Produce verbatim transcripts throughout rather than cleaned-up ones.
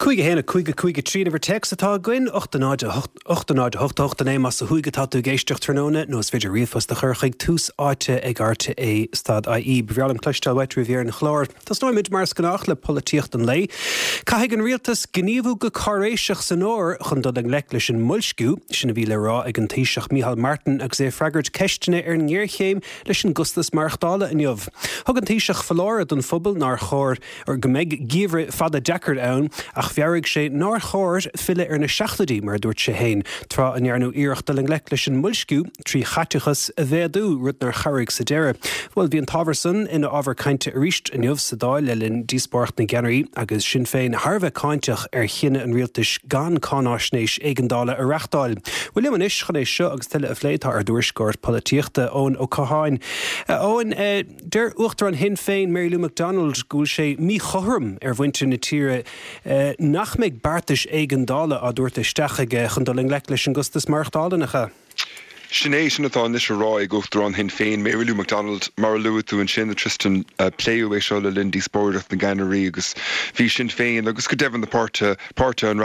Cúig a haon a cúig a cúig a trí an uimhir téacs atá againn, ocht a náid a hocht ocht a náid a hocht a hocht a naoi más ó thuaidh atá tú ag éisteacht tráthnóna nó is féidir ríomhphost a chur chuig tús áite ag rte stad IE. Ba bhreá liom cloisteáil uait roimh dheireadh an chláir. Tosnóimid mar is gnách le polaitíocht an lae. Caithfidh an rialtas gníomhú go cáiréiseach san fhómhar chun dul i ngleic leis an mboilsciú, sin a bhí le rá ag an Taoiseach Micheál Martin agus é ag freagairt ceisteanna ar an ngéarchéim leis an gcostas maireachtála inniu. Thug an Taoiseach foláireamh don phobal nár chóir or go mbeidh geimhreadh fada deacair ann ach mheabhraigh sé nár chóir filleadh ar na seachtóidí mar a dúirt sé féin, tráth a ndearnadh iarracht dul i ngleic leis an mboilsciú trí chaiteachas a mhéadú, rud nár chabhraigh sa deireadh. Bhuel bhí an t-ábhar san ina ábhar cainte arís inniu sa Dáil le linn díospóireacht na gceannairí agus Sinn Féin thar a bheith cáinteach ar chinneadh an rialtais gan cáináisnéis éigeandála a reáchtáil. Bhuel liom anois chun é seo agus tuilleadh a phlé tá ár dtuairisceoir polaitíochta Eoin Ó Catháin. Eoin, deir Uachtarán Shinn Féin Mary Lou McDonald go bhfuil sé míchothrom ar mhuintir na tíre nach mbeidh beartais éigeandála á dtabhairt isteach aige chun dul i ngleic leis an gcostas maireachtála nach ea. Sin é sin atá anois á rá ag Uachtarán Shinn Féin, Mary Lou McDonald mar a luaigh tú ansin Tristan pléadh é seo le linn díospóireacht na gceannairí agus bhí Sinn Féin agus go deimhin na páirtithe páirtithe an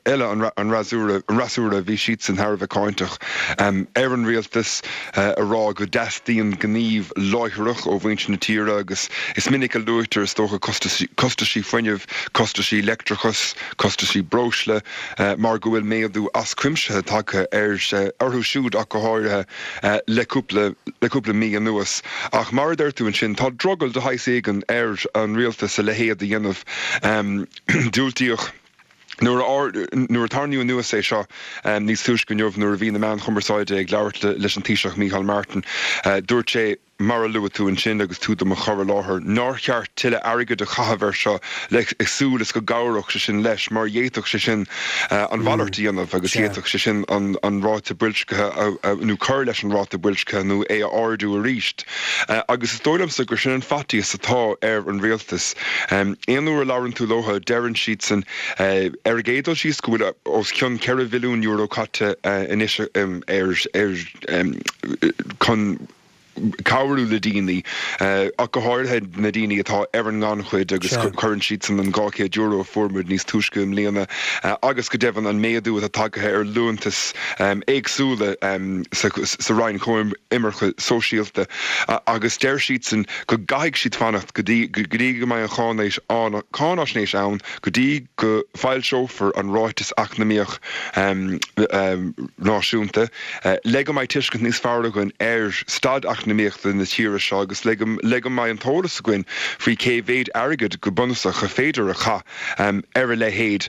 eile an fhreasúra an fhreasúra bhí siadsan thar a bheith cáinteach ar an rialtas a rá go dteastaíonn gníomh láithreach ó mhuintir na tíre agus is minic a luaitear is dócha costaisí fuinnimh, costaisí leictreachais, costaisí breosla mar go bhfuil méadú as cuimse tagtha ar orthu siúd ach go háirithe le cúpla le cúpla mí anuas. Ach mar a deir tú ansin tá drogall de shaghas éigin ar an rialtas a leithéid a dhéanamh diúltaíodh Nuair nuair a tarraingíodh anuas é seo níos túisce inniu nuair a bhí na meáin chumarsáide ag labhairt leis an Taoiseach Micheál Martin, dúirt sé mar a luaigh tú ansin agus tú do mo chur i láthair, nár cheart tuilleadh airgid a chaitheamh air seo le súil is go gcabhródh sé sin leis mar d'fhéadfadh sé sin an mhalairt a dhéanamh agus d'fhéadfadh sé sin an an ráta boilscithe nó cur leis an ráta boilscithe nó é a ardú arís. Agus is dóigh liomsa gur sin an faitíos atá ar an rialtas. Aon uair a labhrann tú leo deireann siadsan ar an gcéad dul síos go bhfuil os cionn ceithre bhilliún euro caite anois ar ar chun cabhrú le daoine ach go háirithe na daoine atá ar an ngannchuid agus cuireann siadsan an dhá chéad euro a fuair muid níos túisce i mbliana agus go deimhin an méadú atá tagtha ar liúntais éagsúla sa Roinn Coimirce Sóisialta agus deir siadsan go gcaithfidh siad fanacht go dtí go dtí go mbeidh an cháinaisnéis ann go dtí go bhfoilseofar an ráiteas eacnamaíoch náisiúnta le go mbeidh tuiscint níos fearr againn ar staid eacnamaíochta na tíre seo agus le le go mbeidh an t-eolas againn faoi cé mhéad airgead go bunúsach a féidir a chaitheamh ar a leithéid.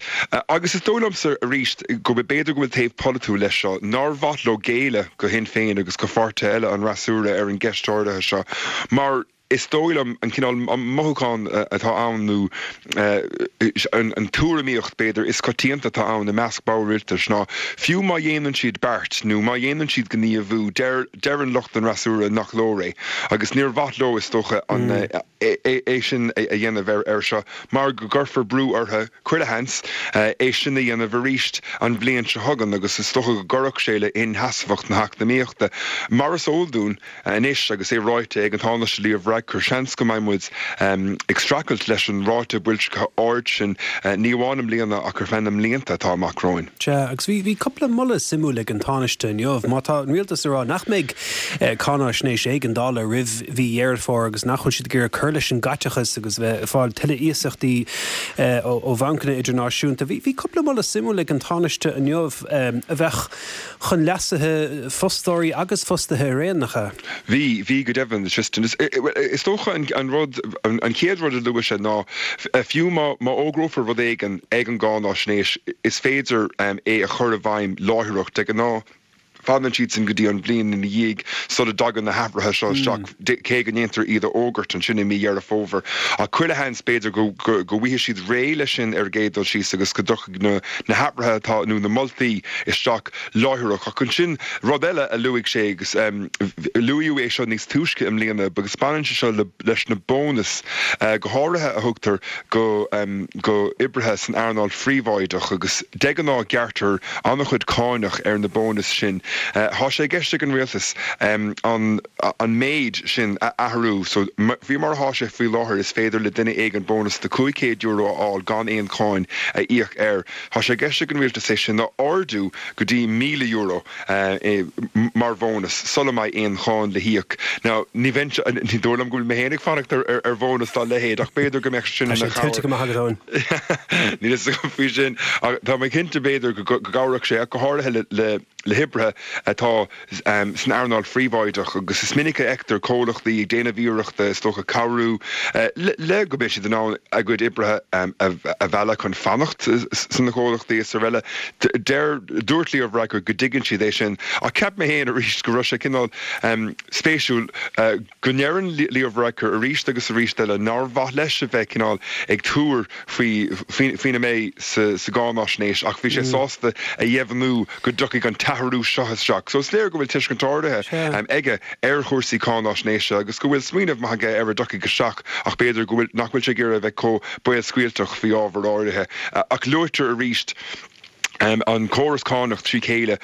Agus is dóigh liomsa arís go b'fhéidir go bhfuil taobh polaitiúil leis seo nár mhaith leo géilleadh go Shinn Féin agus go pháirtithe eile an fhreasúra ar an gceist áirithe seo mar is dóigh liom an cineál mothúchán atá ann nó an tuairimíocht b'fhéidir is coitianta atá ann i measc ball rialtais ná fiú má dhéanann siad beart nó má dhéanann siad gníomhú deir deireann lucht an fhreasúra nach leor é agus níor mhaith leo is dócha an é sin a dhéanamh ar ar seo mar go gcuirfear brú orthu chuile sheans é sin a dhéanamh arís an bhliain seo chugainn agus is dócha go gcuirfeadh sé le inseasmhacht na heacnamaíochta mar is eol dúinn anois agus é ráite ag an Tánaiste Leo Varadkar seans go mbeidh muid ag streachailt leis an ráta boilscithe ard sin ní amháin i mbliana ach ar feadh na mblianta atá amach romhainn. Sea, agus bhí bhí cúpla moladh suimiúil ag an Tánaiste inniu. Má tá an rialtas ag rá nach mbeidh cáinaisnéis éigeandála roimh mhí Dheireadh Fómhair agus nach bhfuil siad ag iarraidh cur leis an gcaiteachas agus bheith ag fáil tuilleadh iasachtaí ó bhancanna idirnáisiúnta. Bhí bhí cúpla moladh suimiúil ag an Tánaiste inniu a bheadh chun leasa fostóirí agus fostaithe araon, nach ea? Bhí, bhí go deimhin, Tristan. Is dócha an rud, an chéad rud a luaigh sé ná fiú má má fhógrófar rud éigin ag an gcáinaisnéis, is féidir é a chur i bhfeidhm láithreach. De ghnáth, fanann siadsan go dtí an bhliain ina dhiaidh sula dtagann na hathruithe seo isteach, cé go ndéantar iad a fhógairt ansin i mí Dheireadh Fómhair. Ach chuile sheans, b'fhéidir go go bhfaighidh siad réidh leis sin ar an gcéad dul síos agus go dtiocfaidh na na hathruithe atá, nó na moltaí isteach láithreach. Ach ansin, rud eile a luaigh sé, agus luaíodh é seo níos túisce i mbliana, agus baineann sé seo leis na bónais, go háirithe a thugtar go go oibrithe san earnáil phríobháideach, agus de ghnáth gearrtar an-chuid cáinach ar na bónais sin. Tá sé i gceist ag an rialtas an an méid sin a athrú so faoi mar atá sé faoi láthair is féidir le duine éigin bónas de cúig chéad euro a fháil gan aon cháin a íoc air. Tá sé i gceist ag an rialtas é sin a ardú go dtí míle euro mar bhónas sula mbeidh aon cháin le híoc. Now ní bheinn ní dóigh liom go bhfuil mé féin ag fanacht ar ar bhónas dá leithéid ach b'fhéidir go mbeadh sin ina chabhair. Go maith agat Eoin. Níl a fhios agam faoi sin ach tá mé cinnte b'fhéidir go gcabhródh sé ach go háirithe le le le hoibrithe atá san earnáil phríobháideach agus is minic a fheictear comhlachtaí ag déanamh iarrachta is dócha cabhrú le go mbeidh siad in ann a gcuid oibrithe a mhealladh chun fanacht sna comhlachtaí is araile. Deir, dúirt Leo Varadkar go dtuigeann siad é sin ach cheap mé féin arís go raibh sé cineál spéisiúil go ndeireann Leo Varadkar arís agus arís eile nár mhaith leis a bheith cineál ag tuar faoi faoina mbeidh sa gcáinaisnéis ach bhí sé sásta a dheimhniú go dtiocfaidh an t-athrú seo isteach. So is léir go bhfuil tuiscint áirithe aige ar chúrsaí cáinaisnéise agus go bhfuil smaoineamh maith aige ar a dtiocfaidh isteach ach b'fhéidir go bhfuil nach bhfuil sé ag iarraidh a bheith chomh béalscaoilteach faoi ábhar áirithe. Ach luaitear arís an córas cánach trí chéile.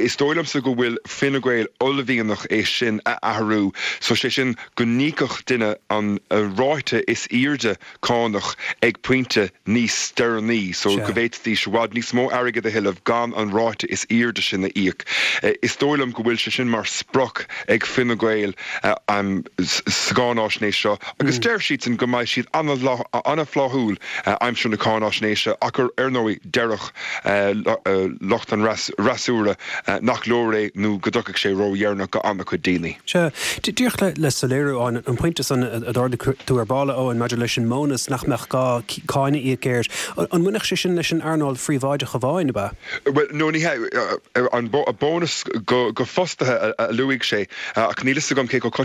Is dóigh liomsa go bhfuil Fine Gael uaillmhianach é sin a athrú, so sé sin go n-íocfadh duine an ráta is airde cánach ag pointe níos deireanaí, so go bhféadfaidís i bhfad níos mó airgid a thuilleamh gan an ráta is airde sin a íoc. Is dóigh liom go bhfuil sé sin mar sprioc ag Fine Gael sa gcáináisnéis seo agus deir siadsan go mbeidh siad an-fhlaithiúil aimsir na cáináisnéise ach ar ndóigh déarfadh lucht an fhreasúra nach leor é nó go dtiocfaidh sé ródheireanach go an-chuid daoine. Sea, díreach le soiléiriú an an pointe san a d'ardaigh tú ar ball, a Eoin, maidir leis an mbónas nach mbeadh gá cáin a íoc air, an mbainfeadh sé sin leis an earnáil phríobháideach amháin, ab ea? Bhuel, no, ní hea. An bónas go fostaithe a luaigh sé, ach níl fhios agam cé chomh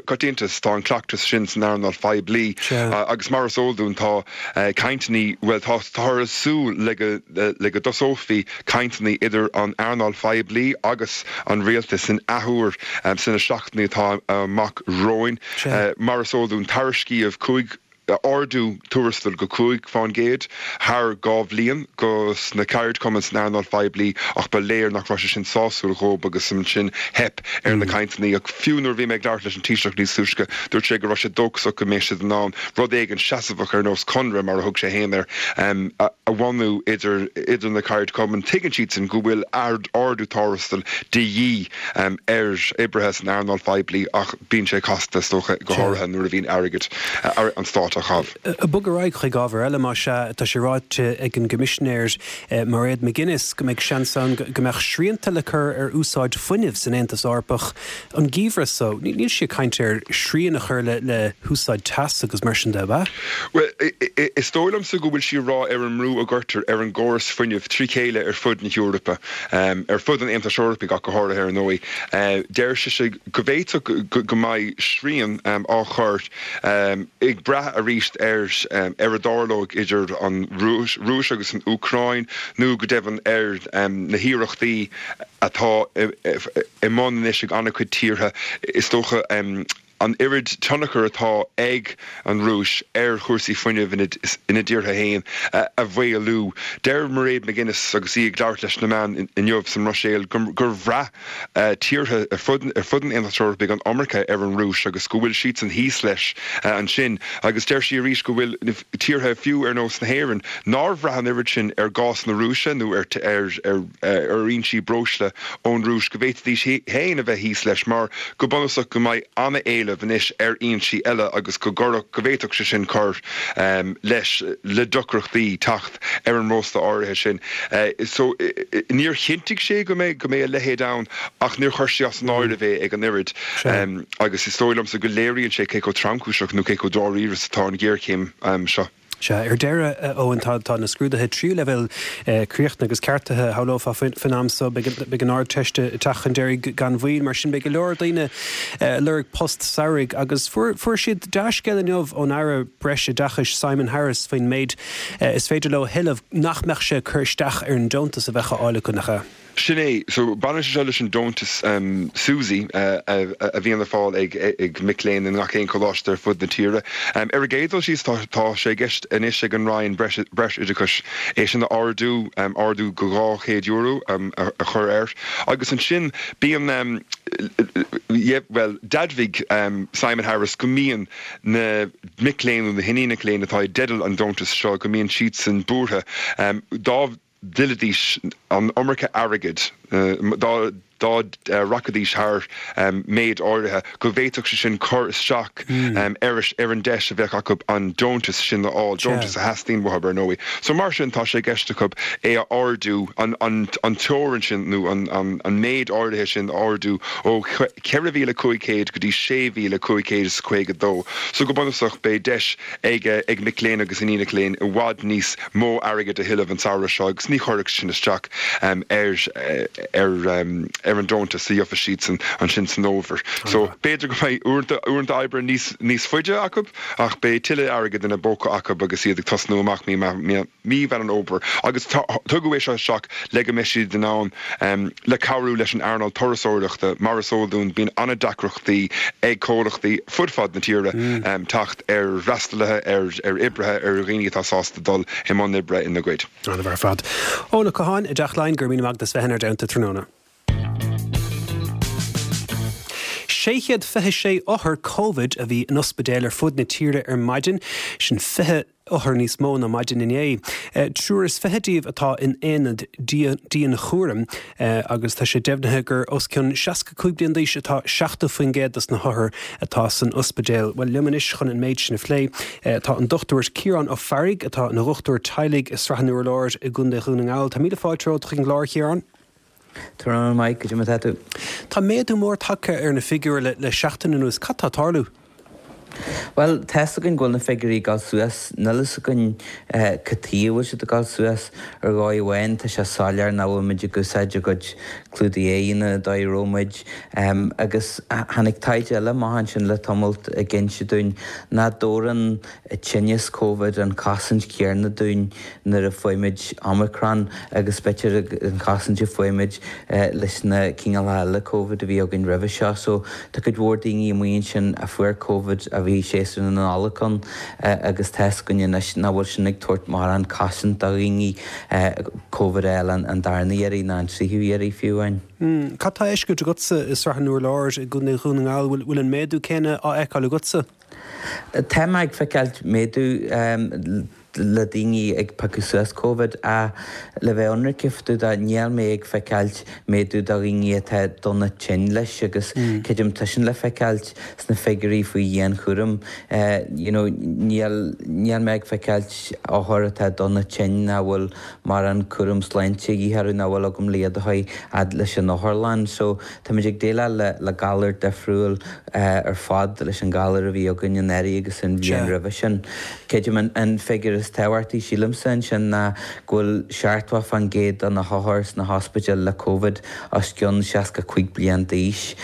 coitianta is atá an cleachtas sin san earnáil phoiblí. Agus mar is eol dúinn, tá cainteanna, bhuel, táthar ag súil le go le go dtosófaí cainteanna idir an earnáil phoiblí agus an rialtas in athuair sna seachtainí atá amach romhainn. Mar is eol dúinn, tairiscíodh cúig ardú tuarastail go cúig fán gcéad thar dhá bhliain go sna ceardchumainn san earnáil phoiblí ach ba léir nach raibh sé sin sásúil dhóibh agus ansin theip ar na cainteanna. Ach fiú nuair a bhí mé ag labhairt leis an Taoiseach níos túisce, dúirt sé go raibh sé dóchasach go mbeidh siad in ann rud éigin seasmhach ar nós conradh, mar a thug sé féin air, a bhunú idir idir na ceardchumainn. Tuigeann siadsan go bhfuil ardú tuarastail de dhíth ar oibrithe san earnáil phoiblí ach bíonn sé casta, is dócha, go háirithe nuair a bhíonn airgead an stáit á chaitheamh. Ag bogadh ar aghaidh chuig ábhar eile, más ea, tá sé ráite ag an gCoimisinéir Mairead McGuinness go mbeidh seans ann go mbeadh srianta le cur ar úsáid fuinnimh san Aontas Eorpach an geimhreadh so. Níl sí ag caint ar shrian a chur le húsáid teasa agus mar sin de, ab ea? Bhuel, is dóigh liomsa go bhfuil sí ag rá ar an mbrú a gcuirtear ar an gcóras fuinnimh trí chéile ar fud na hEorpa, ar fud an Aontais Eorpaigh ach go háirithe ar ndóigh. Deir sise go bhféadfadh go mbeidh srian á chur, ag brath arís ar ar a dtarlóidh idir an Rúis agus an Úcráin nó go deimhin ar na hiarrachtaí atá i mbun anois ag an-chuid tíortha, is dócha, an oiread tionchair atá ag an Rúis ar chúrsaí fuinnimh ina dtíortha féin a mhaolú. Deir Mairead McGuinness agus í ag labhairt leis na meáin inniu sa mBruiséil gur bhraith tíortha ar fud ar fud an Aontais Eorpaigh an iomarca ar an Rúis agus go bhfuil siadsan thíos leis ansin agus deir sí arís go bhfuil tíortha fiú ar nós na hÉireann nár bhraith an oiread sin ar ghás na Rúise nó ar ar ar fhoinsí breosla ón Rúis go bhféadfaidís féin a bheith thíos leis mar go bunúsach go mbeidh an-éileamh anois ar fhoinsí eile agus go gcuirfeadh go bhféadfadh sé sin cur leis le deacrachtaí teacht ar an mbreosla áirithe sin. So níor chinntigh sé go mbeidh go mbeidh a leithéid ann ach níor chuir sí as an áireamh é ag an oiread agus is dóigh liomsa go léiríonn sé cé chomh tromchúiseach nó cé chomh dáiríre is atá an ghéarchéim seo. Sea, ar deireadh, a Eoin, tá tá na scrúduithe tríú leibhéal críochnaithe agus ceartaithe, shamhlófá, faoin am so. Beidh an Ardteist ag teacht chun deiridh gan mhoill, mar sin beidh go leor daoine ag lorg post samhraidh agus fuair fuair siad dea-scéal inniu ón Aire Breisoideachais Simon Harris faoin méid is féidir leo a thuilleamh nach mbeadh sé ag cur isteach ar an deontas a bheadh á fháil acu, nach ea? Sin é so baineann sé leis an deontas um, SUSI uh, a, a bhíonn le fáil ag, ag mic léinn i ngach aon choláiste ar fud na tíre. Um, ar an gcéad dul síos tá, tá sé i gceist anois ag an Roinn breis oideachais é sin a ardú um, ardú go dhá chéad euro um, a, a chur air. Agus ansin bíonn um, yeah, well d'admhaigh um, Simon Harris go mbíonn na mic léinn na hiníonacha léinn atá i dteideal an deontas seo go mbíonn siadsan buartha um, dá dtuillfidís an iomarca airgid uh, dá dá uh, rachaidís thar um, méid áirithe go bhféadfadh sé sin cur isteach mm. um, ar ar an deis a bheith acu an deontas sin a fháil deontas a theastaíonn uathu ar ndóigh. So mar sin tá sé i gceist acu é a ardú an, an, an teorainn sin nó an, an, an méid áirithe sin ardú ó ceithre mhíle cúig chéad go dtí sé mhíle cúig chéad is caoga dó. So go bunúsach beidh deis ag ag mic léinn agus iníonacha léinn i bhfad níos mó airgid a thuilleamh an samhradh seo agus ní chuirfeadh sin isteach um, ar ar um, ar an deontas a gheobhaidh siadsan ansin san fhómhar. So b'fhéidir go mbeidh uaireanta oibre níos níos faide acu ach beidh tuilleadh airgid ina bpóca acu agus iad ag tosnú amach mí mí Mheán Fómhair. Agus tugadh é seo isteach le go mbeidh siad in ann um, le cabhrú leis an earnáil turasóireachta mar is eol dúinn bíonn an-deacrachtaí ag comhlachtaí fud fad na tíre mm. um, teacht ar fhreastalaithe ar ar oibrithe ar dhaoine atá sásta dul i mbun oibre ina gcuid. An-mhaith ar fad. Eoin Ó Catháin i dTeach Laighean go raibh míle maith agat as bheith inár dteannta tráthnóna. sé chéad fiche sé othar Covid a bhí in ospidéil ar fud na tíre ar maidin, sin fiche othar níos mó ná maidin inné. Triúr is fiche díobh atá in aonad dianchúraim agus tá sé deimhnithe gur os cionn seasca cúig bliain d'aois atá seachtó faoin gcéad dos na hothair atá san ospidéal. Bhuel liom anois chun an méid sin a phlé tá an Dochtúir Ciarán Ó Fearraigh atá ina dhochtúir teaghlaigh i Srath an Urláir i gContae Dhún na nGall. Tá míle fáilte romhat chuig an gclár Ciarán? Tá Mike go dtí tú. Tá méadú mór tagtha ar na figiúir le, le seachtain anuas cad tá ag tarlú. Well tá a fhios againn go bhfuil na figiúirí ag dul suas níl a fhios againn cad chuige a bhfuil siad ag dul suas ar dhóigh amháin tá sé soiléir nach bhfuil muid ag úsáid ár gcuid clúdaigh aghaidhe an dóigh a raibh muid agus tháinig taighde eile amach ansin le tamalt ag inse dúinn nach dtabharann tinneas Covid an chosaint chéanna dúinn nuair a faighimid Omicron agus b'fhéidir an chosaint a faighimid leis na cineálacha eile Covid a bhí againn roimhe seo. So tá cuid mhór daoine amuigh ansin a fuair Covid a bhí séasúr na Nollag ann agus tá a fhios againn anois nach bhfuil sin ag tabhairt mórán cosaint do dhaoine Covid a fháil an darna iarraidh ná an tríú iarraidh fiú amháin. Cad tá á fheiscint agatsa i Srath an Urláir i gContae Dhún na nGall, bhfuil an méadú céanna á fheiceáil agatsa? Tá mé ag feiceáil méadú le daoine ag piocadh suas Covid ach le bheith ionraic fá dtaobh de níl mé ag feiceáil méadú do dhaoine atá dona tinn leis agus creidim tá sin le feiceáil sna figiúirí faoi dhianchúram. You know níl níl mé ag feiceáil othair atá dona tinn nach bhfuil mórán cúram sláinte a dhíth orthu nach bhfuil agam le iad a chur fhad leis an otharlann. So táimid ag déileáil le le galar difriúil ar fad leis an galar a bhí againn anuraidh agus an bhliain roimhe sin. Creidim an an figiúr is tábhachtaí sílimse ansin ná go bhfuil seachtó faoin gcéad de na hothair sna hospidéil le Covid os cionn seasca cúig bliain d'aois.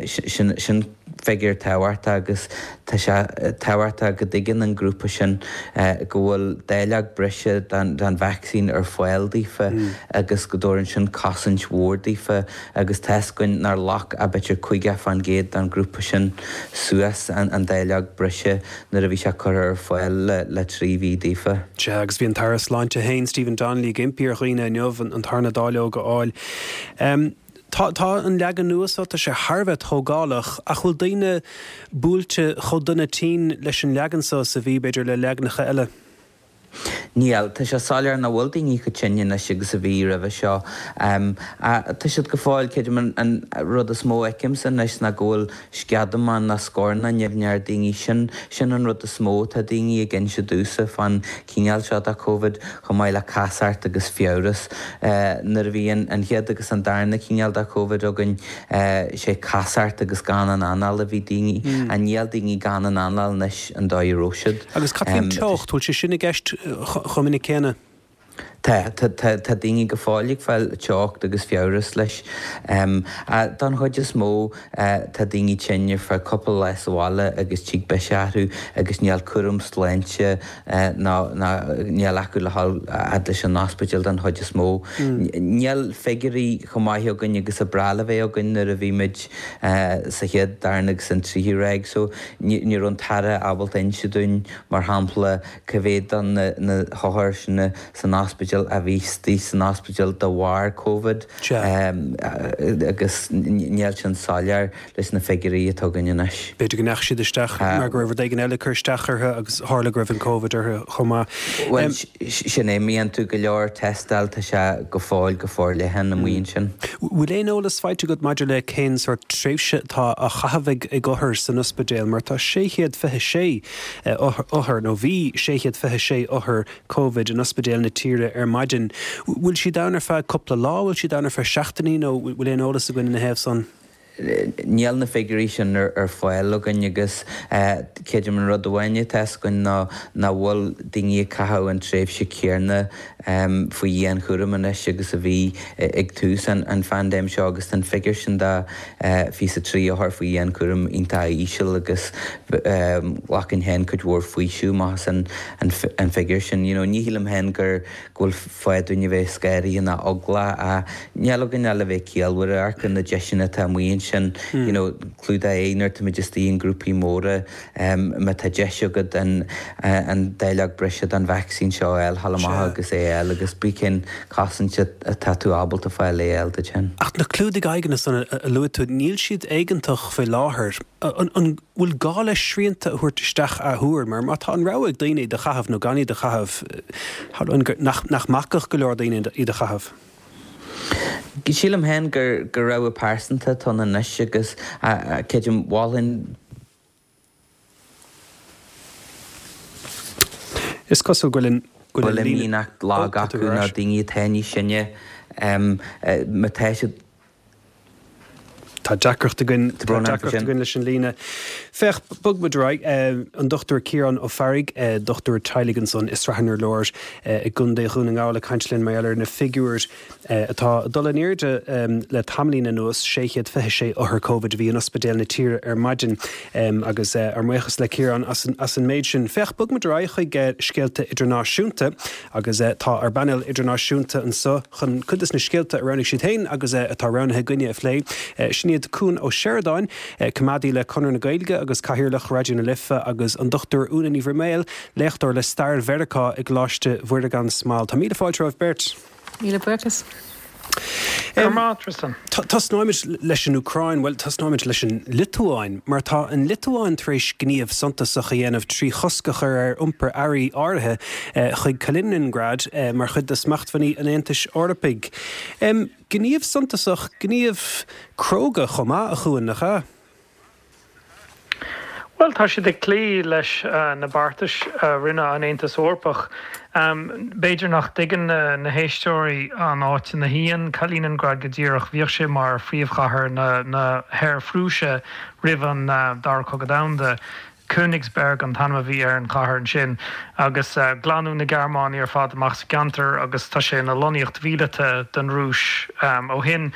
Sin sin figiúr tábhachtach agus tá sé tábhachtach go dtuigeann an grúpa sin go bhfuil dáileog breise den den vacsaín ar fáil daofa agus go dtabharann sin cosaint mhór daofa agus tá a fhios againn nár ghlac ach b'fhéidir caoga faoin gcéad den ghrúpa sin suas an an dáileog breise nuair a bhí sé curtha ar fáil le le trí mhí daofa. Sea, agus bhí an tAire Sláinte féin, Stephen Donnelly, ag impí ar dhaoine inniu an tarna dáileog a fháil. Tá tá an leagan nua seo, tá sé thar a bheith tógálach, ach bhfuil daoine buailte chomh dona tinn leis an leagan seo is a bhí, b'fhéidir, le leaganacha eile? Níl. Tá sé soiléir nach bhfuil daoine chomh tinn anois agus a bhí roimhe seo. Tá siad go fóill, creidim, an rud is mó a fheicimse anois ná go bhfuil sceadamán ná scornach nimhneach ar daoine. Sin, sin an rud is mó atá daoine ag inse domhsa fán chineál seo de Covid, chomh maith le casacht agus fiabhras. Nuair a bhí an chéad agus an darna cineál de Covid againn, sé casacht agus gan an anáil a bhí daoine. Níl daoine gan an anáil anois an dóigh a raibh siad. Agus cad faoin teocht, bhfuil sé sin i gceist chomh minic céanna? Tá Tá, tá, tá, tá daoine go fóill ag fáil teocht agus fiabhras leis. Don chuid is mó, tá daoine tinn ar feadh cúpla lá sa bhaile agus tig biseach orthu agus níl cúram sláinte ná, ná, níl acu le dhul a fhad leis an ospidéal don chuid is mó. Níl figiúirí chomh maith againn agus a ba bhreá le bheith againn nuair a bhí muid sa chéad, darna agus an tríú ráig so ní raibh an tAire ábalta inse dúinn, mar shampla, cá mhéad de na hothair sin san ospidéal a bhí istigh san ospidéal de bharr Covid agus níl sin soiléir leis na figiúirí atá againn anois. B'fhéidir go ndeachaigh siad isteach mar go raibh rud éigin eile ag cur isteach orthu agus tharla go raibh an Covid orthu chomh maith. Bhuel, sin é, má dhéanann tú go leor tástáil tá sé go fóill go forleathan amuigh ansin. Bhfuil aon eolas faighte agat maidir le cén sórt tréimhse atá á chaitheamh ag othair san ospidéal mar tá sé chéad fiche sé othar, nó bhí sé chéad fiche sé othar Covid in ospidéil na tíre ar maidin. Bhfuil siad ann ar feadh cúpla lá, bhfuil siad ann ar feadh seachtainí nó bhfuil aon eolas againn ina thaobh san? Níl na figiúirí sin ar fáil againn agus creidim an rud amháin atá fhios againn ná nach bhfuil daoine ag caitheamh an tréimhse céanna faoi dhianchúram anois agus a bhí ag tús an phaindéim seo agus tá an figiúr sin de fiche is a trí othar faoi dhianchúram iontach íseal agus ghlacfainn féin cuid mhór faoiseamh amach as an figiúr sin. You know, ní shílim féin gur go bhfuil fáth dúinn a bheith scanraithe ná eaglach ach níl againn ach le bheith ciallmhar, amharc ar na deiseanna atá amuigh ansin, you know, clúdaigh aghaidh nuair táimid istigh i ngrúpaí móra, má tá deis agat an an dáileog breise den vacsaín seo a fháil, gabh amach agus é a fháil agus pé cén chosaint atá tú ábalta fáil é a fháil duit féin. Ach na clúdaigh aghaidheanna san a luaigh tú, níl siad éigeantach faoi láthair. An bhfuil gá le srianta a thabhairt isteach athuair? Mar má tá an rogha ag daoine iad a chaitheamh nó gan iad a chaitheamh, shamhlóinn nach mbacfadh go leor daoine iad a chaitheamh. Sílim féin gur rogha pearsanta atá ann anois agus creidim, mholfainn, Is cosúil go bhfuil an go bhfuil imdhíonacht lag acu nó daoine atá níos sine, má tá siad. Tá deacracht againn, tá deacracht againn leis an líne. Féach, bog muid ar aghaidh. An Dochtúir Ciarán Ó Fearraigh, dochtúir teaghlaigh ansan i Srath an Urláir i gContae Dhún na nGall ag caint linn mar gheall ar na figiúir atá ag dul in airde le tamaillín anuas, sé chéad fiche sé othar Covid a bhí in ospidéil na tíre ar maidin agus ár mbuíochas le Ciarán as an méid sin. Féach, bog muid ar aghaidh chuig scéalta idirnáisiúnta agus tá ár bpainéal idirnáisiúnta anso chun cuid de na scéalta a roghnaigh siad féin agus atá roghnaithe againne a phlé. Sin iad Cuan Ó Seireadáin, coimeádaí le Conradh na Gaeilge agus Cathaoirleach Raidió na Life agus an Dochtúir Úna Ní Bhroiméil, léachtóir le Stair Mheiriceá i gColáiste Mhuire gan Smál. Tá míle fáilte romhaibh beirt. Míle buíochas. Go raibh maith, Tristan. Tosnóimid leis an Úcráin, bhuel, tosnóimid leis an Liotuáin, mar tá an Liotuáin tar éis gníomh suntasach a dhéanamh trí chosc a chur ar iompar earraí áirithe chuig Kaliningrad mar chuid de smachtbhannaí an Aontais Eorpaigh. Gníomh suntasach, gníomh cróga chomh maith, a Chuain, nach ea? Bhuel, tá siad ag cloí leis na beartais a rinne an Aontas Eorpach. B'fhéidir nach dtuigeann na héisteoirí an áit ina shuíonn Kaliningrad go díreach. Bhíodh sé mar phríomhchathair na hOir-Phrúise roimh an Dara Cogadh Domhanda. Königsberg an t-ainm a bhí ar an chathair ansin agus glanadh na Gearmánaigh ar fad amach sa gceantar agus tá sé ina lonnaíocht mhíleata don Rúis ó shin.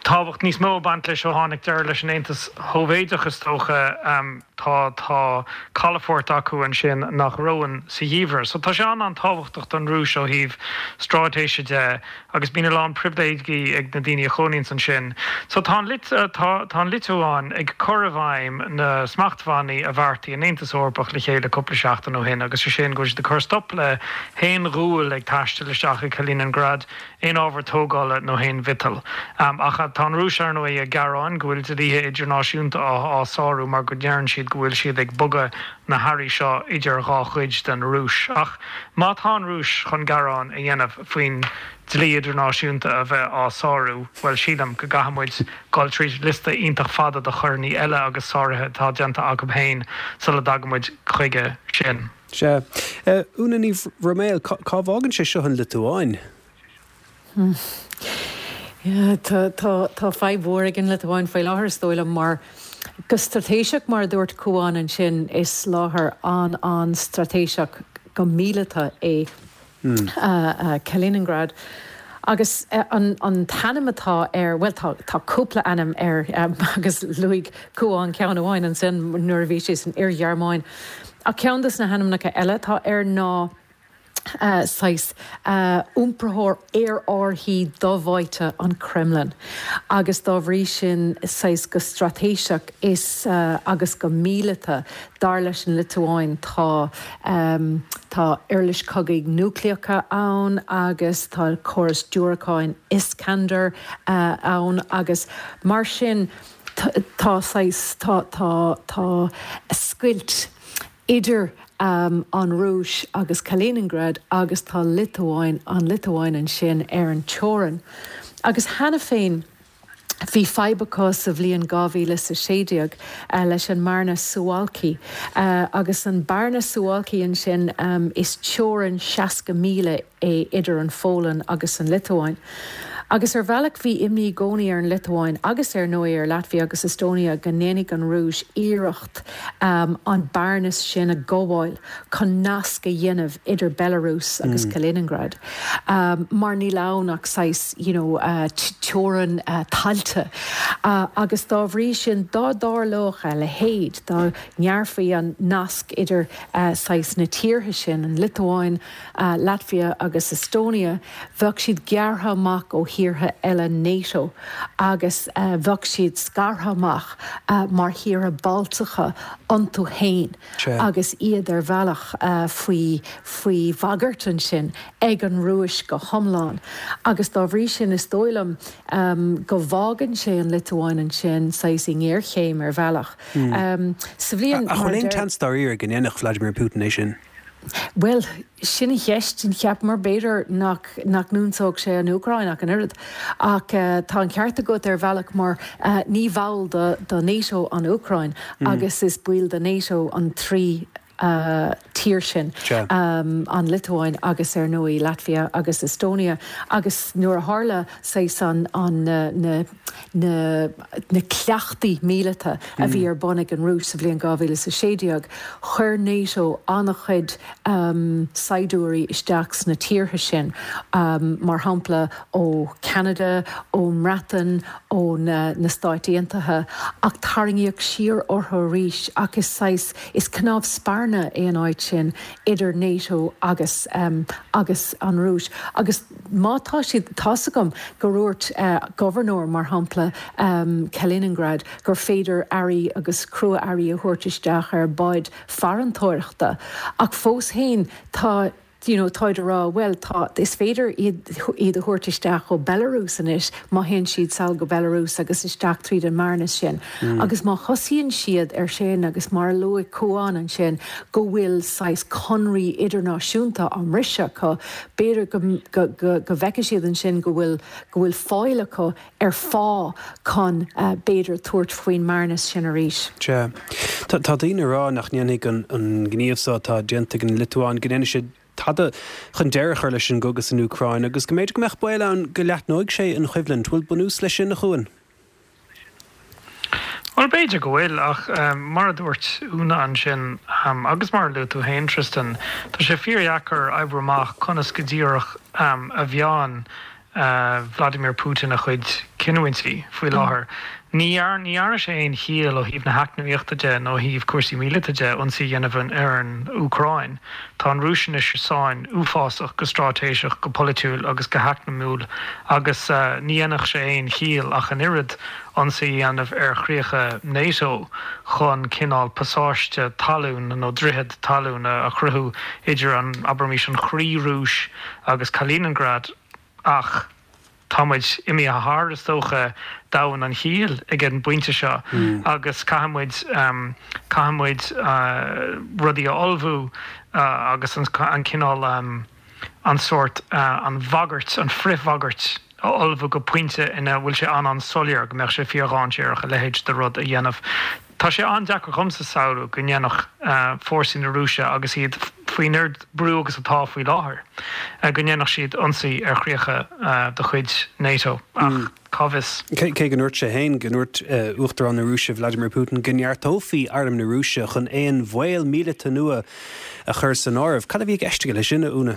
Tábhacht níos mó ag baint leis ó tháinig deireadh leis an Aontas Shóivéideach is dócha. Tá tá calafort acu ansin nach reonn sa gheimhreadh. So tá sé an-an-tábhachtach don Rúis ó thaobh stráitéise de agus bíonn a lán pribhléidí ag na daoine a chónaíonns ansin. So tá an tá tá an Liotuáin ag cur i bhfeidhm na smachtbhannaí a bheartaigh an Aontas Eorpach le chéile cúpla seachtain ó shin agus sé sin go bhfuil siad ag cur stop le haon ghual ag taisteal isteach i Kaliningrad, aon ábhar tógála nó aon mhiotal. Ach tá an Rúis, ar ndóigh, ag gearán go bhfuil dlíthe idirnáisiúnta á sárú mar go ndeireann siad go bhfuil siad ag bogadh na hearraí seo idir dhá chuid den Rúis. Ach má tá an Rúis chun gearán a dhéanamh faoin dlí idirnáisiúnta a bheith á sárú, bhuel, sílim go gcaithfidh muid dul tríd liosta iontach fada de choireanna eile agus sáruithe atá déanta acu féin sula dtagann muid chuige sin. Sea. Úna Ní Bhroiméil, cá bhfágann sé seo an Liotuáin? Tá tá fadhb mhór ag an Liotuáin faoi láthair is dóigh liom mar go straitéiseach mar a dúirt Cuán ansin is láthair an-an-straitéiseach go míleata é Kaliningrad. Agus an an t-ainm atá air, bhuel tá tá cúpla ainm air agus luaigh Cuán ceann amháin ansin nuair a bhí sé san Iar-Ghearmáin. Ach ceann de na hainmneacha eile atá air ná saghas iompraitheoir aerárthaí do-bháite an Kremlin agus dá bhrí sin saghas go straitéiseach is agus go míleata dar leis an Liotuáin tá tá uirlis cogaidh núicléacha ann agus tá córas diúracáin Iskander ann agus mar sin tá saghas tá tá tá scoilt idir um, an Rúis agus Kaliningrad agus tá Liotuáin an Liotuáin ansin ar an teorainn. Agus cheana féin bhí fadhb acu sa bhliain dhá mhíle is a sé déag leis an mbearna Suwalki agus an bearna Suwalki ansin is teorainn seasca míle é idir an Pholainn agus an Liotuáin. Agus ar bhealach bhí imní i gcónaí ar an Liotuáin agus ar ndóigh ar Latvia agus Estonia go ndéanfaidh an Rúis iarracht an bearnas sin a ghabháil chun nasc a dhéanamh idir Belarus agus Kaliningrad. Mar níl ann ach saghas you know teorainn tailte. Agus dá bhrí sin dá dtarlódh a leithéid, dá ngearrfaí an nasc idir saghas na tíortha sin, an Liotuáin, Latvia agus Estonia, bheadh siad gearrtha amach ó thíortha eile NATO agus bheadh siad scartha amach mar thíortha Baltacha iontu féin agus iad ar bhealach faoi faoi bhagairt ansin ag an Rúis go hiomlán. Agus dá bhrí sin is dóigh liom go bhfágann sé an Liotuáin ansin saghas i ngéarchéim ar bhealach. Sa bhliain Ach an bhfuil aon tseans dáiríre go ndéanfadh Vladimir Putin é sin? Bhuel, sin an cheist, cheapamar b'fhéidir nach nach n-ionsódh sé an Úcráin ach an oiread. Ach tá an ceart agat ar bhealach mar ní bhall do do NATO an Úcráin agus is baill de NATO an trí tír sin, an Liotuáin agus ar ndóigh Latvia agus Estonia. Agus nuair a tharla saghas an an na na na cleachtaí míleata a bhí ar bun ag an Rúis sa bhliain dhá mhíle is a sé déag, chuir NATO an-chuid saighdiúirí isteach sna tíortha sin, mar shampla ó Cheanada, ón mBreatain, ó na na Stáit Aontaithe, ach tarraingíodh siar orthu arís ach is saghas, is cnámh spairne é an áit sin idir NATO agus agus an Rúis. Agus má tá siad, tá's agam gur dhúirt gobharnóir, mar shampla, Kaliningrad, gur féidir earraí agus crua-earraí a thabhairt isteach ar bháid farantóireachta, ach fós féin tá you know, táid a rá, bhuel, tá, is féidir iad, iad a thabhairt isteach ó Belarus anois má théann siad sall go Belarus agus isteach tríd an mbearnas sin. Mm. Agus má thosaíonn siad ar sin agus mar a luaigh Cuán ansin go bhfuil saghas conraí idirnáisiúnta á mbriseadh acu, b'fhéidir go, go, go, go bhfeicfidh siad ansin go bhfuil, go bhfuil fáil acu ar fáth chun b'fhéidir tabhairt faoin mbearnas sin arís. Sea. Tá, tá daoine ag rá nach ndéanfaidh an, an gníomh so atá déanta ag an Liotuáin, go ndéanfaidh sé tada chun deireadh a chur leis an gcogadh san Úcráin agus go mb'fhéidir go mbeadh baol ann go leathnóidh sé an choimhlint. Bhfuil bunús leis sin, a Chuain? Bhuel, b'fhéidir go bhfuil, ach mar a dúirt Úna ansin, agus mar a luaigh tú féin, Tristan, tá sé fíordheacair oibriú amach conas go díreach a mheánn Vladimir Putin a chuid cinniúintí faoi láthair. Ní dhearna sé aon chiall ó thaobh na heacnamaíochta de nó ó thaobh cúrsaí míleata de ionsaí a dhéanamh ar an Úcráin. Tá an Rúis anois i sáinn uafásach go straitéiseach, go polaitiúil agus go heacnamúil agus ní dhéanfadh sé aon chiall ach an oiread ionsaí a dhéanamh ar chríocha NATO chun cineál pasáiste talún nó droichead talún a chruthú idir an, abraimis, an chroí-Rúis agus Kaliningrad. Ach tá muid imithe thar, is dócha, domhan an chiall ag an bpointe seo agus caithfidh muid, caithfidh muid rudaí a ullmhú agus an cineál, an sórt, an bhagairt, an frithbhagairt a ullmhú go pointe ina bhfuil sé an-an-soiléir go mbeadh sé fíordhainséarach a leithéid de rud a dhéanamh. Tá sé an-deacair dhomsa samhlú go ndéanfadh fórsaí na Rúise, agus iad faoin oiread brú agus atá faoi láthair, go ndéanfadh siad ionsaí ar chríocha de chuid NATO. Ach cá bhfios? Cé go ndúirt sé féin, go ndúirt Uachtarán na Rúise Vladimir Putin go neartófaí arm na Rúise chun aon bhaol míleata nua a chur san áireamh. Cad a bhí i gceist aige leis sin, a Úna?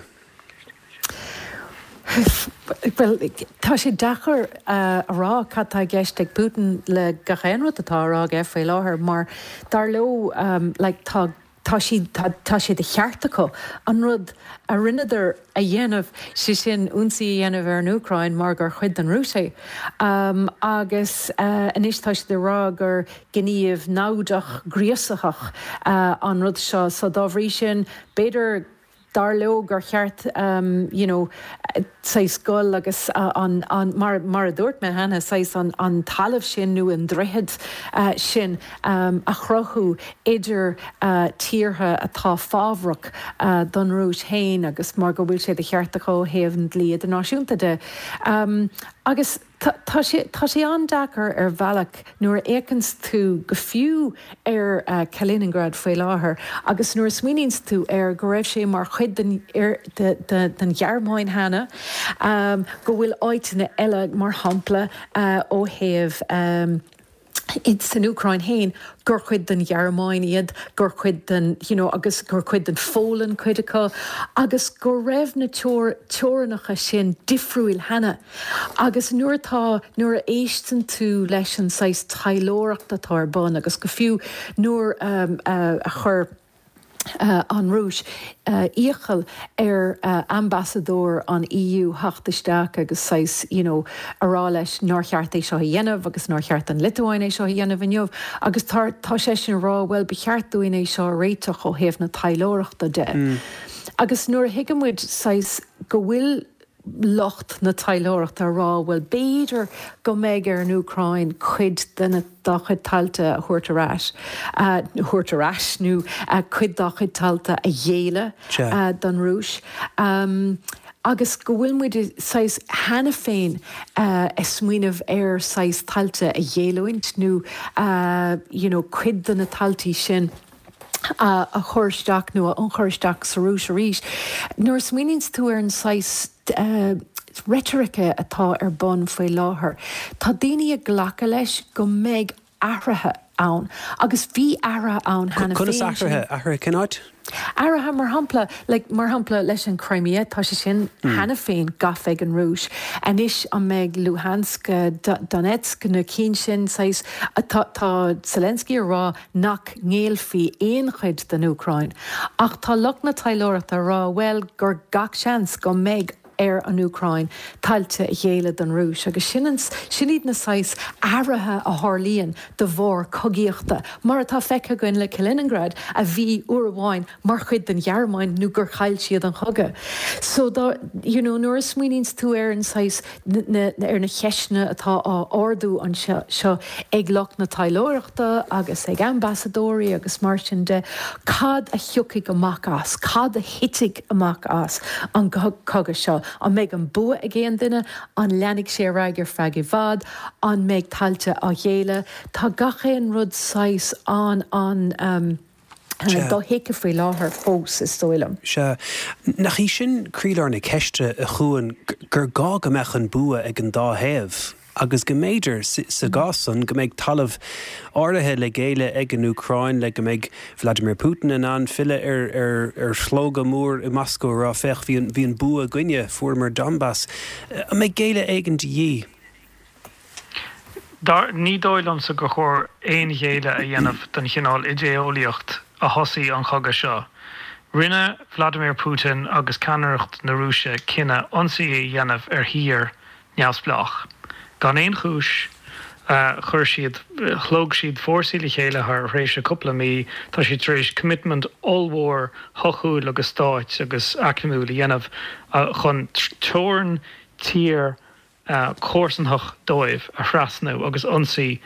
Well, tá sé deacair uh, a rá cad tá i gceist ag Putin le gach aon rud atá á rá aige faoi láthair mar dar leo um, like, tá tá siad tá, tá sé de cheart acu an rud a rinneadar a dhéanamh sé sin ionsaí a dhéanamh ar an Úcráin mar gur chuid den Rúis é. Um, agus uh, anois tá siad ag rá gur gníomh naimhdeach gríosaitheach uh, an rud seo so dá bhrí sin b'fhéidir dar leo gur cheart um, you know, saghas gol agus uh, an, an, mar, mar a dúirt mé cheana saghas an, an talamh sin nó an droichead uh, sin um, a chruthú idir uh, tíortha atá fábhrach uh, don Rúis féin agus mar go bhfuil sé de cheart acu ó thaobh an dlí idirnáisiúnta de. Um, agus Tá sé tá sé an-deacair ar bhealach nuair a fhéachanns tú go fiú ar uh, Kaliningrad faoi láthair agus nuair a smaoiníonns tú ar go raibh sé mar chuid den, ar, de, de, den Ghearmáin cheana um, go bhfuil áiteanna eile mar shampla uh, ó thaobh um, san Úcráin féin gur chuid den Ghearmáin iad, gur chuid den you know, agus gur chuid den Pholainn cuid acu, agus go raibh na teorainneacha sin difriúil cheana. Agus nuair atá nuair a éisteann tú leis an saghas taidhleoireacht atá ar bun agus go fiú nuair um, uh, a chuir Uh, an Rúis uh, iachall ar uh, ambasadóir an EU theacht isteach agus saghas you know, a rá leis nár cheart é seo a dhéanamh agus nár cheart an Liotuáin é seo a dhéanamh inniu agus tá tá sé sin rá well ba cheart dúinn é seo a réiteach ó thaobh na taidhleoireachta de. Mm. Agus nuair a thuigeann muid saghas go bhfuil lucht na taidhleoireachta ag rá well b'fhéidir go mbeidh ar an Úcráin cuid de na dá chuid tailte a thabhairt ar ais uh, thabhairt ar ais nó uh, cuid dá chuid tailte a ghéilleadh uh, don Rúis. Um, agus go bhfuil muid saghas cheana féin uh, ag smaoineamh ar saghas tailte a ghéilliúint nó uh, you know, cuid de na tailte sin. a, a chur isteach nó a ionchur isteach sa Rúis arís. Nuair a smaoiníonns tú ar an saghas uh, reitrice atá ar bun faoi láthair. Tá daoine ag glacadh leis go mbeidh athruithe ann, agus bhí athruithe ann cheana Conas athruithe athruithe cén áit? Athruithe mar shampla like, mar shampla leis an Crimea tá sé sin mm. cheana féin gafa ag an Rúis. Anois an mbeidh Luhansk, Donetsk na cinn sin saghas tá tá Zelensky ag rá nach ngéillfí aon chuid den Úcráin. Ach tá lucht na taidhleoireachta ag rá well gur gach seans go mbeidh ar an Úcráin tailte a ghéilleadh don Rúis agus sin sin iad na saghas athruithe a tharlaíonn de bharr cogaíochta, mar atá feicthe againn le Kaliningrad a bhí uair amháin mar chuid den Ghearmáin nó gur chaill siad an cogadh. So dá you know, nuair a smaoiníonns tú ar an saghas ar na ceisteanna atá á ardú anseo seo ag lucht na taidhleoireachta agus ag ambasadóirí agus mar sin de cad a thiocfaidh amach as, cad a thitfidh amach as an cogadh seo. An mbeidh an bua ag aon duine, an leanfaidh sé ar aghaidh ar feadh i bhfad, an mbeidh tailte á ngéilleadh, tá gach aon rud saghas an an um, dothuigthe faoi láthair fós is dóigh liom. Sea, nach í sin croílár na ceiste a Chuain gur gá go mbeadh an bua ag an dá thaobh? Agus go mb'fhéidir sa gcás san go mbeidh talamh áirithe le géilleadh ag an Úcráin le go mbeidh Vladimir Putin in ann filleadh ar ar ar shlógadh mór i Moscó a rá féach bhí an bhí an bua againne, fuaireamar Donbass. An mbeidh géilleadh éigin de dhíth? Dar, ní dóigh liomsa gur chóir aon ghéilleadh a dhéanamh don chineál idé-eolaíocht a thosaigh an cogadh seo. Rinne Vladimir Putin agus ceannaireacht na Rúise cinneadh ionsaí a dhéanamh ar thír neamhspleách. Gan aon chúis, chuir siad, shlóg siad fórsaí le chéile thar thréimhse cúpla mí, tá siad tar éis commitment ollmhór shochúil agus stáit agus eacnamúil a dhéanamh chun teorainn tír comharsantach dóibh a thrasnú agus ionsaí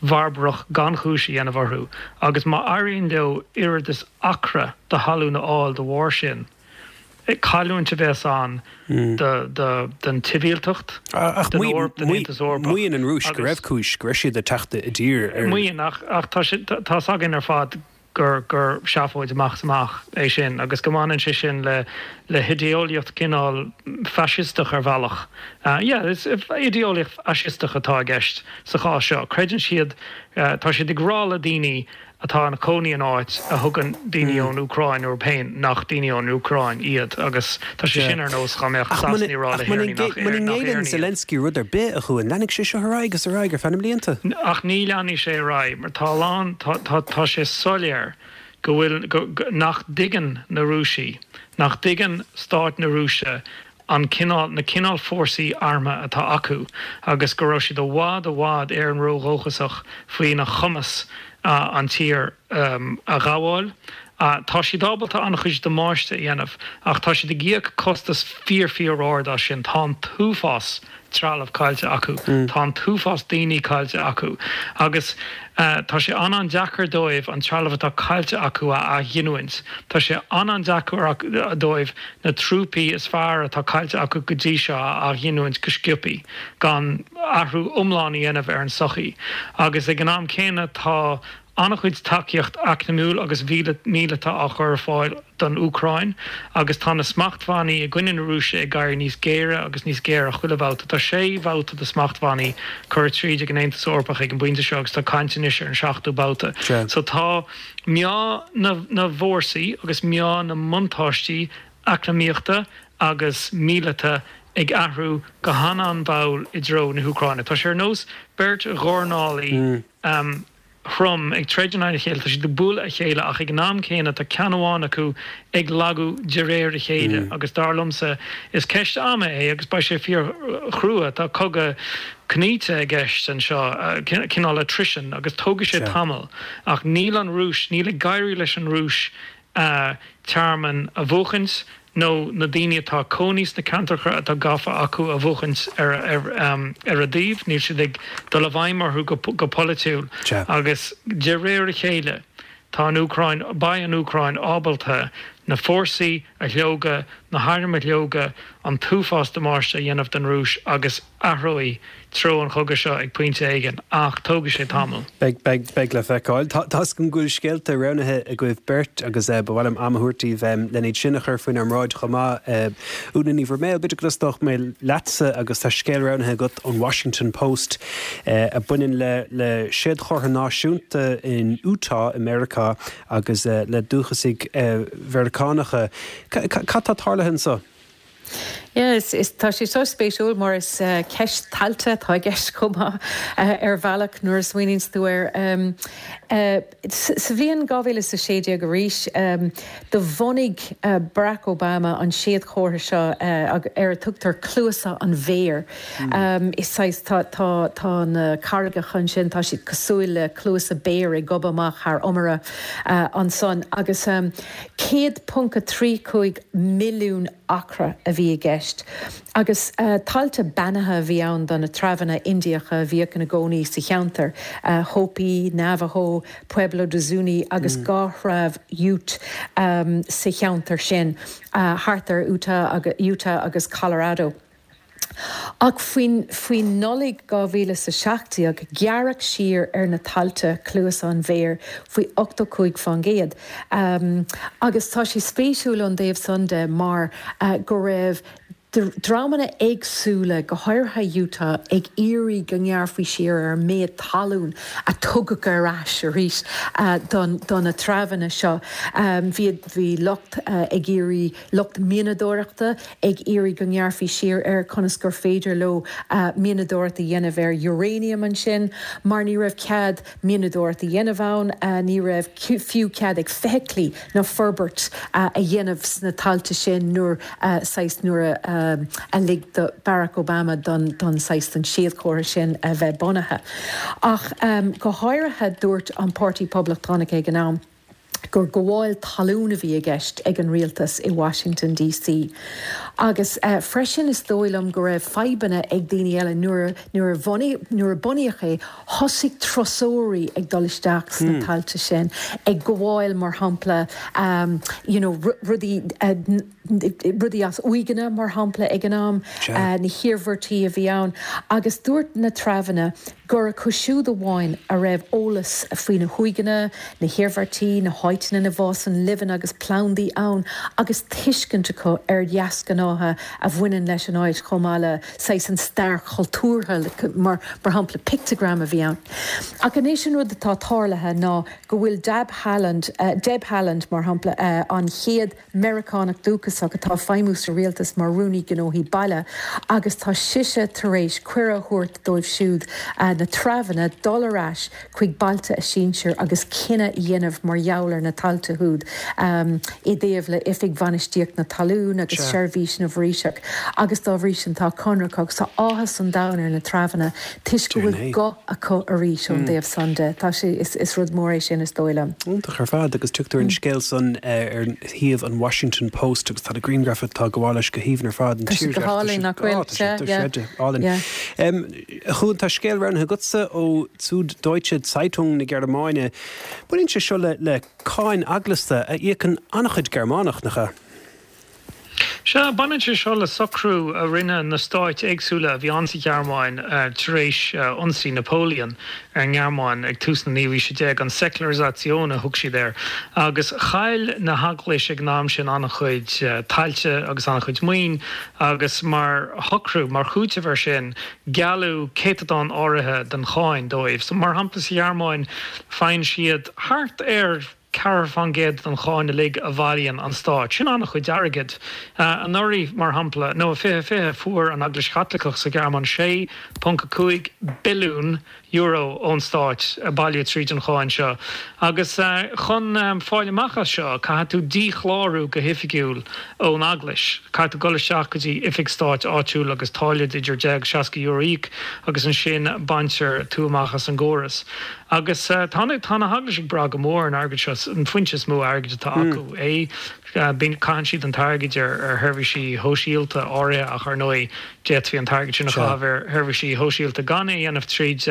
bharbarach gan chúis a dhéanamh orthu. Agus má éiríonn leo oiread is acra de thalamh a fháil de bharr sin, cailliúint a bheas ann don tsibhialtacht, don Eoraip, don Aontas Eorpach. Maíonn an Rúis go raibh cúis, go raibh siad ag teacht i dtír ar. Maíonn, ach tá 's againn ar fad gur gur seafóid amach is amach é sin agus go mbaineann sé sin le le hidé-eolaíocht cineál faisisteach ar bhealach. Yeah, is idé-eolaíocht fhaisisteach atá i gceist sa chás seo. Creideann siad, tá siad ag rá le daoine, atá ina cónaí in áit a thugann daoine ón Úcráin orthu féin nach daoine ón Úcráin iad agus tá sé sin ar nós dá mbeadh Sasanaigh ag rá le hÉireannaigh nach Muna ngéilleann Zelensky rud ar bith a Chuain, leanfaidh sé seo ar aghaidh agus ar aghaidh ar feadh na mblianta. Ach ní leanfaidh sé ar aghaidh mar tá a lán tá tá sé soiléir go bhfuil go, go, nach dtuigeann na Rúisigh, nach dtuigeann stát na Rúise an cineál na cineál fórsaí armtha atá acu agus go raibh siad i bhfad i bhfad Éireann ródhóchasach faoina chumas uh, an tír um, a ghabháil. Uh, tá siad ábalta an-chuid damáiste a dhéanamh ach tá siad ag íoc costas fíor fíor-ard as sin tá an t-uafás trealamh caillte acu mm. Tá an t-uafás daoine caillte acu agus uh, tá sé an-an-deacair dóibh an trealamh atá caillte acu a athghiniúint. Tá sé an-an-deacair dóibh na trúpaí is fearr atá caillte acu go dtí seo a athghiniúint go sciobtha gan athrú iomlán a dhéanamh ar an sochaí. Agus ag an am céanna tá an-chuid tacaíocht eacnamúil agus míleata á chur ar fáil don Úcráin agus tá na smachtbhannaí i gcoinne na Rúise ag éirí níos géire agus níos géire chuile bhabhta tá sé bhabhta de smachtbhannaí curtha tríd ag an Aontas Eorpach ag an bpointe seo agus tá caint anois ar an seachtú babhta. So tá meá na, na bhfórsaí agus meá na mbuntáistí eacnamaíochta agus míleata ag athrú go han-an-mhall i dtreo na hÚcráine. Tá sé ar nós beirt dhornálaí mm. um, throm ag troid in aghaidh a chéile, tá siad ag bualadh a chéile ach ag an am céanna tá ceann amháin acu ag lagú de réir a chéile mm. agus dar liomsa is ceist ama é agus beidh sé fíorchrua tá cogadh cnaíte i gceist anseo cineál attrition agus tógfaidh sé tamall ach níl an Rúis níl ag éirí leis an Rúis uh, tearmann a bhuachaint nó na daoine atá cónaí sna ceantracha atá gafa acu a bhuachaint ar ar, um, ar a dtaobh, níl siad ag dul i bhfeidhm orthu go, go polaitiúil agus de réir a chéile tá an Úcráin beidh an Úcráin ábalta na fórsaí a shlógadh, na hairm a shlógadh, an t-uafás damáiste a dhéanamh don Rúis agus athróidh treo an chogaidh seo ag pointe éigin ach tógfaidh sé tamall. Beidh beidh beidh le feiceáil. Tá tá go bhfuil scéalta roghnaithe agaibh beirt agus eh, ba mhaith liom am a thabhairt daoibh lena iad sin a chur faoinár mbráid chomh maith eh, Úna Ní Bhroiméil, b'fhéidir go dtosódh mé leatsa agus tá scéal roghnaithe agat ón Washington Post eh, a bhaineann le le séadchomhartha náisiúnta in Utah i Meiriceá agus eh, le dúchasaigh eh, Mheiriceánacha. Cad tá tarlaithe anseo? Yes, is tá sé so spéisiúil mar is uh, ceist tailte atá i gceist chomh maith uh, ar bhealach nuair a smaoiníonn tú air um, uh, sa bhliain dhá mhíle is a sé déag arís um, do bhunaigh uh, Barack Obama an séadchomhartha seo uh, ar a tugtar cluasa an bhéir. Mm. Um, is tá, tá, tá na carraigeacha ansin tá siad cosúil le cluasa béir ag gobadh amach thar iomaire uh, ansan agus um, céad ponc a trí cúig milliún acra a bhí i gceist. Agus uh, tailte beannaithe a bhí ann do na treibheanna Indiacha a bhíodh ina gcónaí sa cheantar, uh, Hopi, Navajo, Pueblo de Zuni agus mm. dhá threibh Ute um, sa cheantar sin, uh, thart ar Utah, agus, Utah agus Colorado. Ach faoin faoi Nollaig dhá mhíle is a seacht déag gearradh siar ar na tailte cluasa an bhéir faoi ochtó cúig faoin gcéad. Um, agus tá sé spéisiúil ón dtaobh san de mar uh, go raibh dreamanna éagsúla go háirithe Utah ag iarraidh go ngearrfaí siar ar an méid talún a tugadh ar ais arís uh, don, don na treibheanna seo. Um, bhí bhí lucht uh, ag iarraidh lucht mianadóireachta ag iarraidh go ngearrfaí siar ar conas gur féidir leo uh, mianadóireacht a dhéanamh ar uranium ansin, mar ní raibh cead mianadóireacht a dhéanamh ann, uh, ní raibh fiú cead ag feithiclí ná forbairt uh, a dhéanamh sna tailte sin nuair uh, nuair uh, um, a lig do Barack Obama don, don saghas an séadchomhartha sin a bheith bunaithe. Ach um, go háirithe dúirt an Páirtí Poblachtánach ag an am gur gabháil talún a bhí i gceist ag an rialtas i Washington DC. Agus uh, freisin is dóigh liom go raibh fadhbanna ag daoine eile nuair nuair nuair a bunaíodh é thosaigh turasóirí ag dul isteach sna mm. tailte sin ag gabháil mar shampla um, you know, rudaí uh, rudaí as uaigheanna mar shampla ag an am uh, na hiarmhairtí a bhí ann agus dúirt na treibheanna gur acu siúd amháin a raibh eolas faoi na huaigheanna, na hiarmhairtí, na háiteanna áiteanna ina bhfásann luibheanna agus plandaí ann agus tuiscint acu ar dheasghnátha a bhaineann leis an áit chomh maith le saghas an stair chultúrtha, mar mar shampla picteagram a bhí ann. Ach anois an rud atá tarlaithe ná go bhfuil Deb Haaland, Deb Haaland mar shampla, an chéad Meiriceánach dúchasach atá ag feidhmiú sa rialtas mar Rúnaí Gnóthaí Baile agus tá sise tar éis cuireadh a thabhairt dóibh siúd, na treabhanna, dul ar ais chuig bailte a sinsir agus cinneadh a dhéanamh mar gheall ar na tailte úd i dtaobh le Oifig Bhainistíocht na Talún agus Seirbhís na bhForaoiseach agus dá bhrí sin tá conradh acu agus tá áthas an domhain ar na treabhanna toisc go bhfuil guth acu arís ón dtaobh san de. Tá sé, is rud mór é sin is dóigh liom. Iontach ar fad agus tugtar an scéal san ar shuíomh an Washington Post agus tá na grianghraif atá ag gabháil leis go haoibhinn ar fad. Tá sé go hálainn nach bhfuil? Sea, yeah. Álainn. A Chuain, tá scéal roghnaithe agatsa ó Süddeutsche Zeitung na Gearmáine. Baineann sé seo le le cáin eaglasta a íocann an-chuid Gearmánach, nach ea? Sea, baineann sé seo le socrú a rinne na stáit éagsúla a bhí ann sa Ghearmáin tar éis ionsaí Napoleon ar an nGearmáin ag tús na naoú haoise déag, an Säkularisation a thug siad air, agus chaill na heaglais ag an am sin an-chuid tailte agus an-chuid maoin agus mar shocrú, mar chúiteamh air sin, gealladh céatadán áirithe den cháin dóibh. So, mar shampla, sa Ghearmáin, faigheann siad thart ar ceathracha faoin gcéad den cháin uilig a bhailíonn an stát. Sin an-chuid airgid. Anuraidh, mar shampla, nó i fiche fiche, fuair an Eaglais Chaitliceach sa Ghearmáin sé ponc a cúig billiún euro ón stát a bailíodh tríd an cháin seo. Agus chun fáil amach as seo, caithfidh tú díchlárú go hoifigiúil ón Eaglais. Caithfidh tú dul isteach go dtí oifig stáit áitiúil agus táille idir deich agus seasca euro a íoc agus ansin baintear tú amach as an gcóras. Agus tá na tá na heaglais ag brath go mór ar an airgead seo, an foinse is mó airgid atá acu é. Bíonn, caitheann siad an t-airgead ar ar sheirbhísí shóisialta áirithe ach ar ndóigh d'fhéadfaí an t-airgead sin a chaitheamh ar sheirbhísí shóisialta gan é a dhéanamh tríd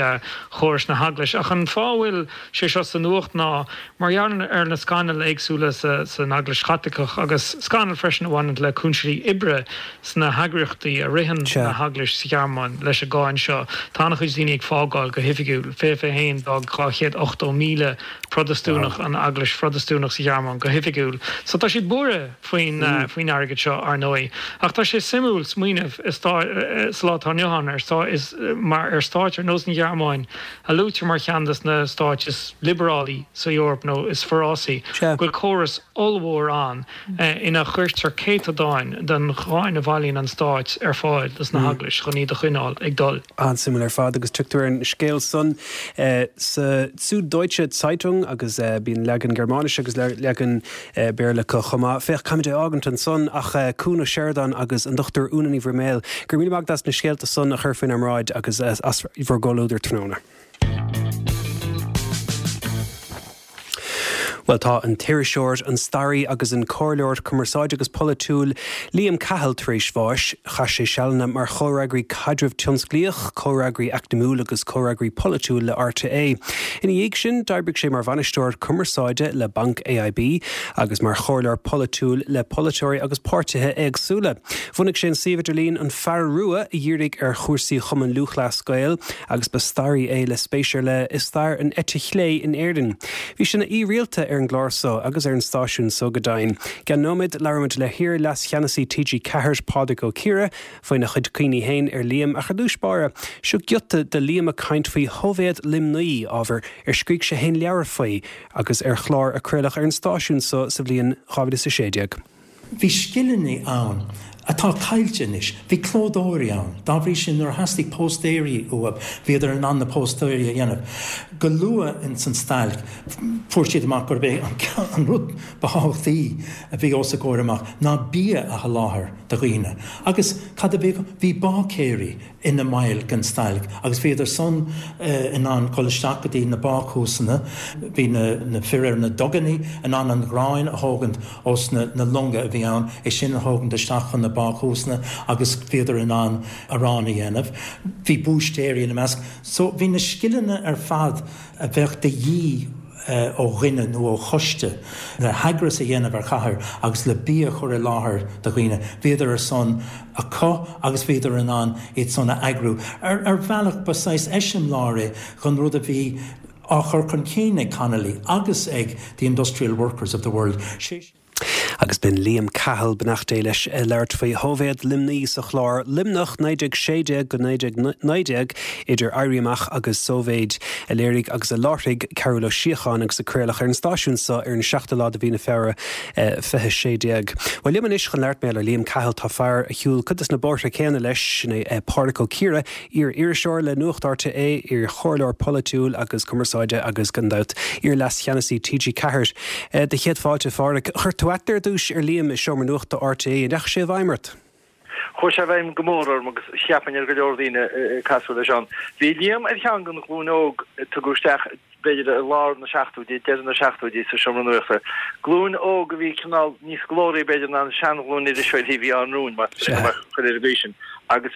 chóras na heaglaise. Ach an fáth a bhfuil sé seo sa nuacht ná mar gheall ar na scannail éagsúla sa san Eaglais Chaitliceach agus scannail freisin a bhaineann le cúinsí oibre sna heagraíochtaí a ritheann na heaglais sa Ghearmáin leis an gcáin seo. Tá an-chuid daoine ag fágáil go hoifigiúil. fiche fiche haon d'fhág dhá chéad ochtó míle Protastúnach an Eaglais Phrotastúnach sa Ghearmáin go hoifigiúil. So tá siad buartha faoin faoin airgead seo, ar ndóigh. Ach tá sé suimiúil smaoineamh sa lá atá inniu ann ar is mar ar stáit ar nós an Ghearmáin a luaitear mar cheann des na stáit is liobarálaí sa Eoraip nó is forásaí, go bhfuil córas ollmhór ann ina chuirtear céatadáin den cháin a bhailíonn an stát ar fáil dos na heaglais chun iad a choinneáil ag dul. An-suimiúil ar fad agus tugtar an scéal san sa Süddeutsche Zeitung agus bíonn leagan Gearmáinise agus leagan Béarla acu chomh maith. Féach, caithfimid é a fhágaint ansan ach Cuan Ó Seireadáin agus an Dochtúir Úna Ní Bhroiméil, go raibh míle maith agat as na scéalta san a chur faoinár mbráid agus as bhur gcomhluadar tráthnóna. Bhuel, tá an t-iriseoir, an staraí agus an comhairleoir cumarsáide agus polaitiúil Liam Cahill tar éis bháis. Chaith sé sealanna mar chomhfhreagraí caidrimh tionsclaíoch, comhfhreagraí eacnamúil agus comhfhreagraí polaitiúil le RTÉ. Ina dhiaidh sin, d'oibrigh sé mar bhainisteoir cumarsáide le Banc AIB agus mar chomhairleoir polaitiúil le polaiteoirí agus páirtithe éagsúla. Bhunaigh sé an suíomh idirlín An Fear Rua a dhírigh ar chúrsaí Chumann Lúthchleas Gael agus ba staraí é le spéis ar leith i stair an eite chlé in Éirinn. Bhí sé ina aoi rialta ar an gclár so agus ar an stáisiún so go deimhin. I gceann nóiméad labhróimid le hiar-leascheannasaí T G Ceathair, Pádraig Ó Ciardha, faoina chuid cuimhní féin ar Liam ach ar dtús báire, seo giota de Liam ag caint faoi Shóivéad Luimnigh, ábhar ar scrígh sé féin leabhar faoi agus ar chlár a craoladh ar an stáisiún so sa bhliain dhá mhíle is a sé déag. Bhí scileanna ann atá caillte anois. Bhí clódóirí ann. Dá bhrí sin, nuair a theastaigh póstaeirí uathu, bhíodar in ann na póstaeirí a dhéanamh. Go luath ins an stailc, fuair siad amach gurb é an rud ba thábhachtaí a bhí os a gcomhair amach ná bia a sholáthar do dhaoine. Agus cad a bhí acu? Bhí báicéirí ina mbaill den stailc agus bhíodar san in ann dul isteach go dtí na bácúsanna. Bhí na fir ar na dugannaí in ann an ghráin a thógaint ós na longa a bhí ann, é sin a thógaint isteach chun na bácúsanna agus bhíodar in ann arán a dhéanamh. Bhí búistéirí ina measc. So bhí na scileanna ar fad a bheadh de dhíth ó dhuine nó ó choiste le heagras a dhéanamh ar chathair agus le bia a chur i láthair do dhaoine, bhíodar ar son acu agus bhíodar in ann iad san a eagrú. Ar bhealach ba saghas eiseamláir é dhon rud a bhí á chur chun cinn ag Connolly agus ag the Industrial Workers of the World. Sé Agus b'in Liam Cahill beannacht Dé leis ag labhairt faoi Shóivéad Luimnigh sa chlár Luimneach naoi déag sé déag go naoi déag naoi déag idir Éirí Amach agus Sóivéid a léirigh agus a láithrigh Cearbhall Ó Síocháin agus a craoladh ar an stáisiún seo ar an seachtú lá de mhí na Feabhra fiche sé déag. Bhuel liom anois chun labhairt mar gheall ar Liam Cahill tá fear a shiúil cuid de na bóithre céanna leis, sin é Pádraic Ó Ciardha, iar-iriseoir le Nuacht RTÉ, iar-chomhairleoir polaitiúil agus cumarsáide agus gan dabht iar-leascheannasaí T G ceathair. Do chéad fáilte, a Phádraic. Chuir tú aithne ar dtús ar Liam i seomra nuachta RTÉ, an ndeachaigh sé i bhfeidhm ort? Chuaigh sé i bhfeidhm go mór orm agus cheapfainn ar go leor daoine cosúil leis ann. Bhí Liam ar cheann den ghlúin óg a tugadh isteach b'fhéidir i lár na seachtóidí, deireadh na seachtóidí sa seomra nuachta. Glúin óg a bhí cineál níos glóraí b'fhéidir ná an seanghlúin iriseoirí a bhí ann romhainn, más chur ar an gcaoi sin. Agus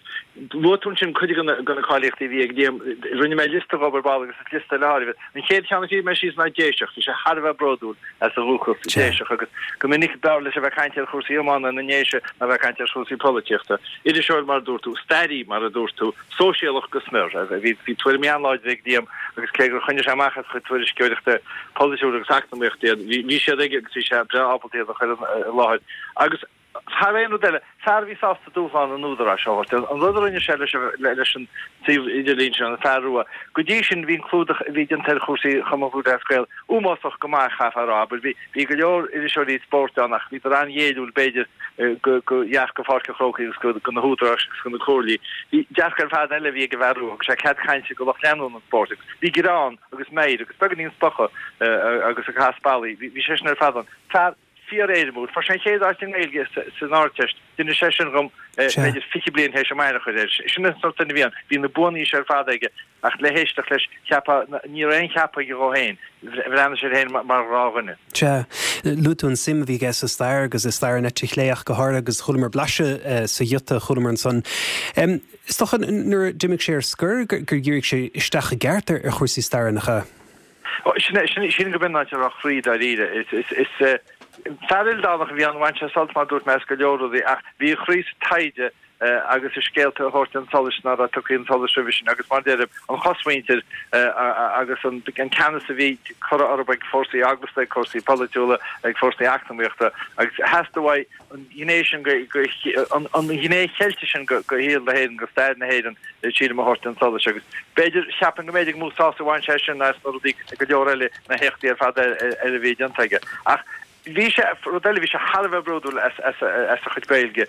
luaigh tú ansin cuid de na cáilíochtaí a bhí ag Liam. Rinne mé liosta dhób ar ball agus is liosta le háireamh. An chéad cheann a scríobh mé síos ná Déiseach. Bhí sé thar a bheith bródúil as a dhúchas Déiseach agus go minic b'fhearr leis a bheith ag caint ar chúrsaí iomána na nDéise ná a bheith ag caint ar chúrsaí polaitíochta. Iriseoir mar a dúirt tú, staraí mar a dúirt tú, sóisialach go smior. Bhí bhí tuairimí an-láidre ag Liam agus cé gur choinnigh sé amach as a chuid tuairisceoireachta polaitiúil agus eacnamaíochta iad, bhí bhí siad aige agus bhí sé breá ábalta iad a chur i láthair. Agus thar aon rud eile, fear a bhí sásta dúshlán an údaráis a thabhairt. An rud a rinne sé leis an suíomh idirlín sin, An Fear Rua, go dtí sin bhí an clúdach a bhí déanta ar chúrsaí Chumann Lúthchleas Gael uafásach go maith, chaithfeá a rá. Abair, bhí bhí go leor iriseoirí spóirt ann ach bhíodar an-ghéilliúil b'fhéidir go go dhearcadh Pháirc an Chrócaigh agus go go na húdaráis agus go na comhairlí. Bhí dearcadh ar fad eile a bhí ag an bhFear Rua, thug sé cead cainte go lucht leanúna an spóirt agus bhí greann agus meidhir agus beagáinín spochadh agus ag cás bailí. Bhí sé sin ar fad ann. Fear fíor-éirimiúil. Fuair sé an chéad áit i nGaeilge san Ardteist. D'inis sé sin dhom b'fhéidir fiche bliain théis an m'aithne a chur air. Sin an sórt duine a bhí ann. Bhí na buanna ar fad aige ach le héisteacht leis, cheapfá, ní raibh aon cheapadh aige dhó féin. Bhreathnaigh sé air féin mar ghnáthdhuine. Sea. Luaigh tú an suim a bhí aige sa stair agus i stair an eite chlé ach go háirithe agus chualamar blaiseadh sa ghiota a chualamar ansan. Is dócha nuair a d'imigh sé ar scor gur dhírigh sé isteach i gceart ar chúrsaí staire, nach ea? Sin go b'in an áit a raibh a chroí dáiríre. Is fear ildánach a bhí ann, bhain sé sult mar a dúirt mé as go leor rudaí ach bhí a chroí sa taighde agus i scéalta a thabhairt chun solais nach raibh tugtha chun solais roimhe sin agus mar a deirim, an chosmhuintir agus an ceannas a bhí curtha orthu ag fórsaí eaglasta, ag fórsaí polaitiúla, ag fórsaí eacnamaíochta agus theastaigh uaidh an ghné sin go, an ghné Cheilteach sin go shaol na hÉireann, go stair na hÉireann, sílim, a thabhairt chun solais agus b'fhéidir, cheapfainn go mb'fhéidir gur mó sásamh a bhain sé sin ná as na rudaí, go leor eile, na héachtaí ar fad eile a bhí déanta aige. Ach bhí sé, rud eile, bhí sé thar a bheith bródúil as as a chuid Gaeilge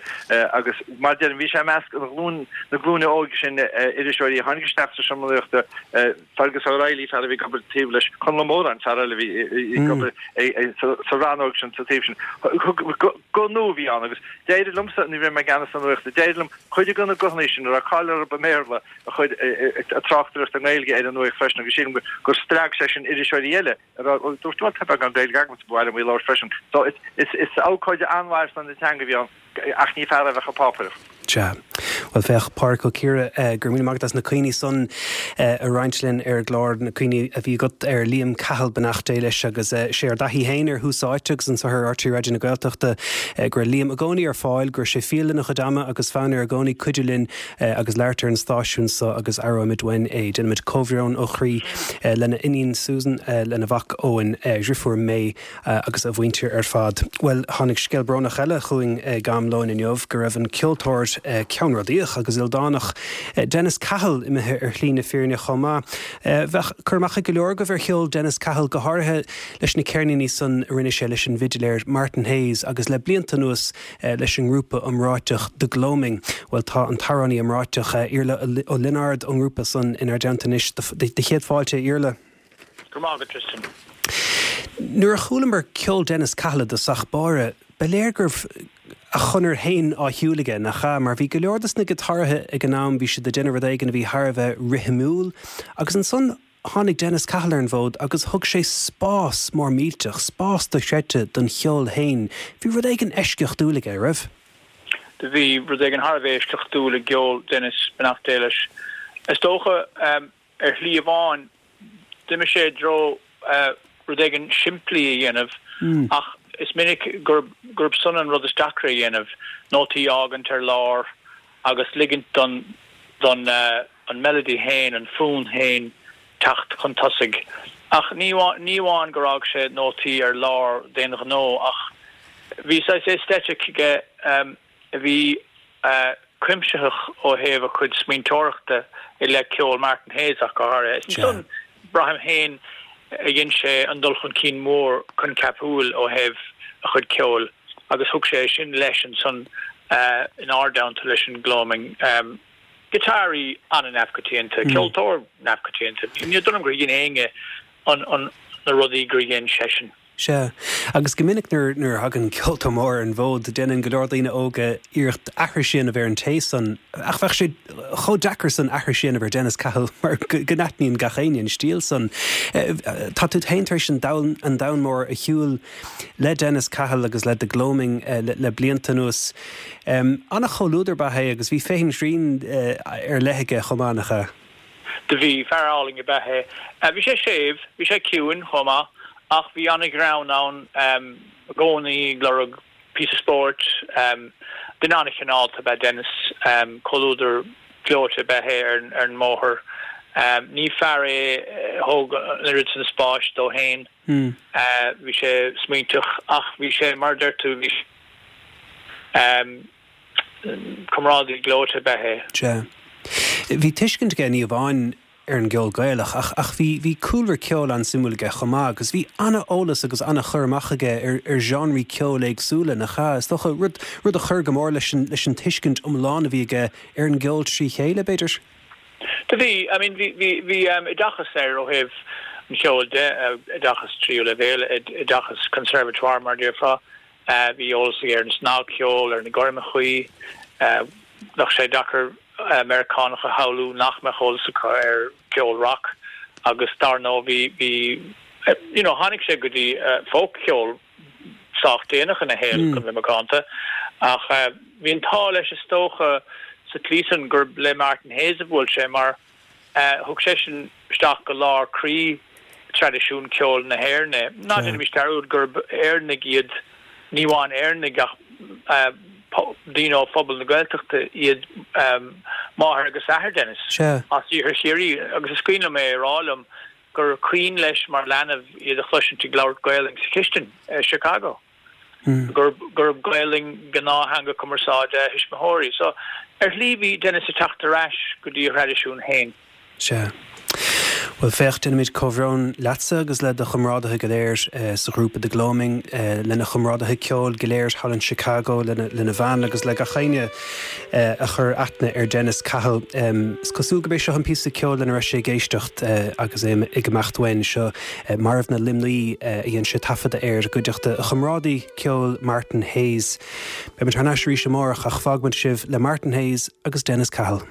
agus mar a deirim, bhí sé i measc an ghlúin, na glúine óige sin iriseoirí a tháinig isteach sa seomra nuachta, Fergus O'Reilly, fear a bhí ag obair taobh leis, Conall Ó Móráin, fear eile a bhí ag obair sa rannóg sin, sa taobh sin. Guth nua a bhí ann agus d'éirigh liomsa, ní raibh mé i gceannas na nuachta, d'éirigh liom cuid de na guthanna sin a raibh cáil orthu i mBéarla a chur ag tráchtaireacht i nGaeilge ar an nuacht freisin agus sílim gur spreag sé sin iriseoirí eile a raibh, dúirt, bhuel tá beagán Gaeilge agamsa, ba mhaith liom í a labhairt freisin. So is abhcóide an-mhaith ar son na teanga a bhí ann. Ach ní fear é a bheadh ag pápaireacht. Sea. Bhuel, féach, Pádraic Ó Ciardha, go raibh míle maith agat as na cuimhní san a roinnt linn ar an gclár, na cuimhní a bhí agat ar Liam Cahill, beannacht Dé leis, agus sé ár dtaithí féin ar Thús Áite agus anseo ar RTÉ Raidió na Gaeltachta go raibh Liam i gcónaí ar fáil, go raibh sé fial lena chuid ama agus fonn air i gcónaí cuidiú linn agus labhairt ar an stáisiún seo agus aireoimid uainn é. Déanaimid comhbhrón ó chroí lena iníon Susan, lena mhac Eoin, a dhriofúr May agus a mhuintir ar fad. Bhuel, tháinig scéal brónach eile chugainn ag am lóin inniu, go raibh an ceoltóir ceannródaíoch agus ildánach Dennis Cahill imithe ar shlí na fírinne chomh maith. Bheadh cur amach ag go leor agaibh ar cheol Dennis Cahill, go háirithe leis na ceirníní san a rinne sé leis an bhfidiléir Martin Hayes agus le blianta anuas leis an ngrúpa iomráiteach The Gloaming. Bhuel, tá an t-amhránaí iomráiteach Iarla Ó Lionáird ón ngrúpa san inár dteannta anois. Do chéad fáilte, a Iarla. Go raibh maith agat, Tristan. Nuair a chualamar ceol Dennis Cahill i dtosach báire, ba léir go raibh a chonair féin á shiúl aige, nach ea? Mar bhí go leor dos na giotáraithe ag an am, bhí siad ag déanamh rud éigin a bhí thar a bheith rithimiúil, agus ansan tháinig Dennis Cahill ar an bhfód agus thug sé spás mór millteach, spás dochreidte don cheol féin. Bhí rud éigin eisceachtúil aige, raibh? Do bhí rud éigin thar a bheith eisceachtúil i gceol Dennis, beannacht Dé leis. Is dócha, ar shlí amháin, d'imigh sé i dtreo rud éigin simplí a dhéanamh ach is minic gurb gurb san an rud is deacra a dhéanamh, nótaí a fhágaint ar lár agus ligint don don an melody féin, an fonn féin teacht chun tosaigh. Ach ní ní amháin gur fhág sé nótaí ar lár d'aon ghnó ach bhí saghas aesthetic aige um, a bhí uh, cuimsitheach ó thaobh a chuid smaointeoireachta i leith ceol Martin Hayes ach go háirithe. Is ansan braithim féin a dhein sé an dul chun cinn mór coincheapúil ó thaobh a chuid ceoil agus thug sé sin leis ansan uh, in ár dteannta leis an Gloaming. Um, Giotáraí an-neamhchoitianta, mm. ceoltóir neamhchoitianta. Ní dóigh liom gur dhein éinne an, an, na rudaí gur dhein seisean. Sea, agus go minic nuair nuair a thagann ceoltóir mór ar an bhfód, déanann go leor daoine óga iarracht aithris a dhéanamh ar an té san ach bheadh sé chomh deacair san aithris a dhéanamh ar Dennis Cahill mar go n-aithníonn gach éinne an stíl san. Tá tú féin tar éis an domhan an domhan mór a shiúl le Dennis Cahill agus le The Gloaming le, le blianta anuas. Um, An-chomhluadar ab ea é agus bhí féin-srian uh, ar leith aige chomh maith nach ea. Do bhí fear álainn ab ea é. Bhí sé séimh, bhí sé ciúin chomh maith. Ach bhí an-ghreann ann i gcónaí ag lorg píosa spóirt, duine an-chineálta ab ea Dennis, comhluadar gleoite ab ea é ar ar an mbóthar. Ní fear é a thóg an oiread sin spáis dó féin. Bhí sé smaointeach ach bhí sé, mar a deir tú, bhí comrádaí gleoite ab ea é. Sea. Bhí tuiscint aige ní amháin ar an gceol Gaelach ach ach bhí bhí cúlra ceoil an-suimiúil aige chomh maith agus bhí an-eolas agus an-chur amach aige ar ar genrí ceoil éagsúla nach ea? Is dócha rud rud a chuir go mór leis an leis an tuiscint iomlán a bhí aige ar an gceol trí chéile, b'fhéidir? Do bhí, I mean bhí bhí bhí um, oideachas air ó thaobh an cheoil de, oideachas tríú leibhéal, oideachas conservatoire mar déarfá. Bhí eolas aige ar an snagcheol, ar na gormachaí, bheadh sé deacair Meiriceánach a shamhlú nach mbeadh eolas acu ar cheol rock agus dar ndóigh bhí bhí you know tháinig sé go dtí folkcheol sách déanach ina shaol chun bheith macánta ach bhí an t-ádh leis is dócha sa tslí san gur le Martin Hayes a bhuail sé mar thug seisean isteach go lár croí traidisiún ceoil na hÉireann é. Ná déanaimis dearúd gurb Éireannaigh iad, ní amháin Éireannaigh ach daoine ó phobal na Gaeltachta iad máthair agus athair Dennis as Iarthar Chiarraí agus is cuimhin liom é a rá liom gur cuimhin leis mar leanbh iad a chloisint ag labhairt Gaelainn sa chistin i Chicago. Gurb gurb Gaelainn gnáth-theanga cumarsáide a thuismitheoirí. So ar shlí bhí Dennis ag teacht ar ais go dtí a thraidisiún féin. Sea. Bhuel féach, déanaimid comhbhrón leatsa agus le do chomrádaithe go léir sa ghrúpa The Gloaming, lena chomrádaithe ceoil go léir thall in Chicago, lena lena bhean agus le gach éinne a chuir aithne ar Dennis Cahill. Is cosúil gurb é seo an píosa ceoil lena raibh sé ag éisteacht agus é ag imeacht uainn seo, Marbhna Luimní a dhein sé taifeadadh air i gcuideachta a chomrádaí ceoil Martin Hayes. Beimid thar n-ais arís amárach ach fágfaimid sibh le Martin Hayes agus Dennis Cahill.